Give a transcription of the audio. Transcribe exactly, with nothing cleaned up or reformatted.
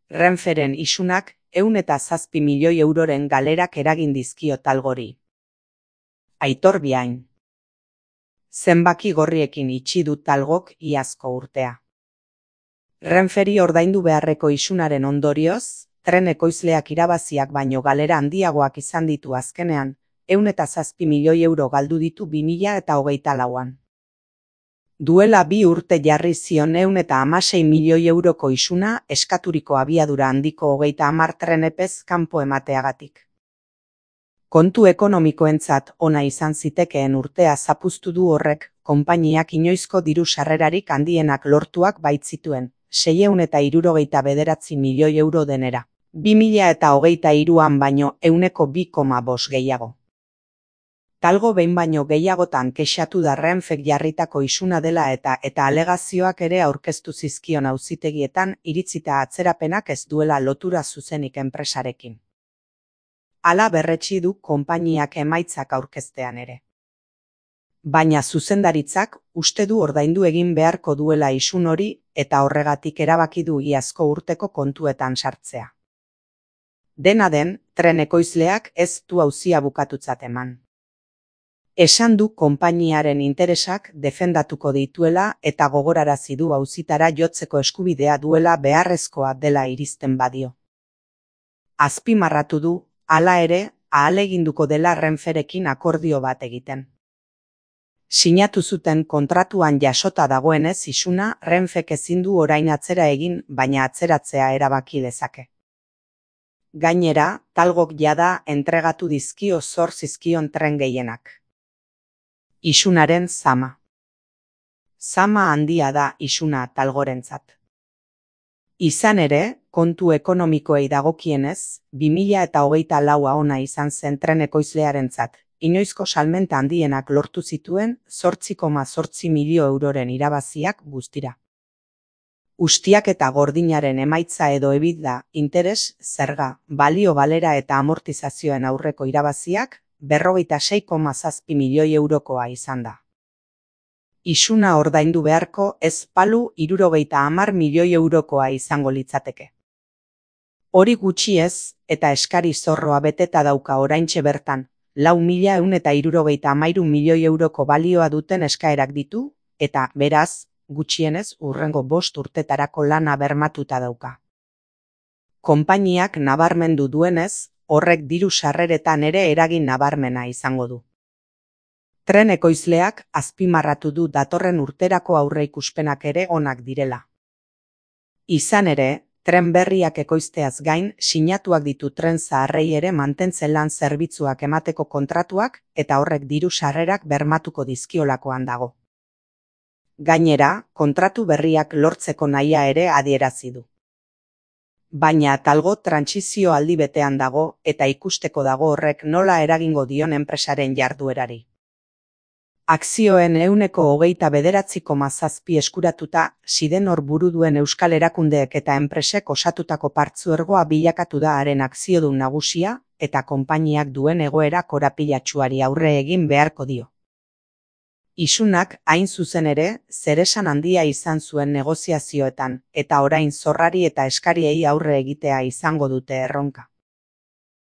Renferen isunak ehun eta zazpi milioi euroren galerak eragin dizkio Talgori. Aitor Biain. Zenbaki gorriekin itxi du Talgok iazko urtea. Renferi ordaindu beharreko isunaren ondorioz, tren ekoizleak irabaziak baino galera handiagoak izan ditu azkenean, ehun eta zazpi milioi euro galdu ditu bi mila eta hogeita lauan. Duela bi urte jarri zion ehun eta hamasei milioi euroko isuna eskaturiko abiadura handiko hogeita hamar tren epez kanpo emateagatik. Kontu ekonomikoentzat ona izan zitekeen urtea zapuztu du horrek, konpainiak inoizko diru sarrerarik handienak lortuak baitzituen, seiehun eta hirurogeita bederatzi milioi euro denera. bi mila eta hogeita hiruan baino ehuneko bi koma bost gehiago. Talgo behin baino gehiagotan kexatu da Renfek jarritako isuna dela eta eta alegazioak ere aurkeztu zizkion auzitegietan iritzita atzerapenak ez duela lotura zuzenik enpresarekin. Hala berretsi du konpainiak emaitzak aurkeztean ere. Baina zuzendaritzak uste du ordaindu egin beharko duela isun hori eta horregatik erabaki du iazko urteko kontuetan sartzea. Dena den, tren ekoizleak ez du auzia bukatutzat eman. Esan du konpainiaren interesak defendatuko dituela eta gogorarazi du auzitara jotzeko eskubidea duela beharrezkoa dela irizten badio. Azpimarratu du, hala ere, ahaleginduko dela Renferekin akordio bat egiten. Sinatu zuten kontratuan jasota dagoenez isuna Renfek ezin du orain atzera egin, baina atzeratzea erabaki dezake. Gainera, Talgok jada entregatu dizkio zor zizkion tren gehienak. Isunaren zama. Zama handia da isuna Talgorentzat. Izan ere, kontu ekonomikoei dagokienez, bi mila eta hogeita laua ona izan zen tren ekoizlearentzat, inoizko salmenta handienak lortu zituen zortzi koma zortzi milio euroren irabaziak guztira. Ustiak eta gordinaren emaitza edo EBITDA, interes, zerga, balio galera eta amortizazioen aurreko irabaziak, berrogeita sei koma zazpi milioi eurokoa izan da. Isuna ordaindu beharko ez palu hirurogeita hamar milioi eurokoa izango litzateke. Hori gutxi ez, eta eskari zorroa beteta dauka oraintxe bertan, lau mila ehun eta hirurogeita hamairu milioi euroko balioa duten eskaerak ditu, eta, beraz, gutxienez hurrengo bost urtetarako lana bermatuta dauka. Konpainiak nabarmendu duenez, horrek diru sarreretan ere eragin nabarmena izango du. Tren ekoizleak azpimarratu du datorren urterako aurreikuspenak ere onak direla. Izan ere, tren berriak ekoizteaz gain sinatuak ditu tren zaharrei ere mantentzen lan zerbitzuak emateko kontratuak eta horrek diru sarrerak bermatuko dizkiolakoan dago. Gainera, kontratu berriak lortzeko nahia ere adierazi du. Baina Talgo trantsizio aldi betean dago eta ikusteko dago horrek nola eragingo dion enpresaren jarduerari. Akzioen ehuneko hogeita bederatzi koma zazpi eskuratuta, Sidenor buru duen euskal erakundeek eta enpresek osatutako partzuergoa bilakatu da haren akziodun nagusia eta konpainiak duen egoera korapilatsuari aurre egin beharko dio. Isunak, hain zuzen ere, zeresan handia izan zuen negoziazioetan, eta orain zorrari eta eskariei aurre egitea izango dute erronka.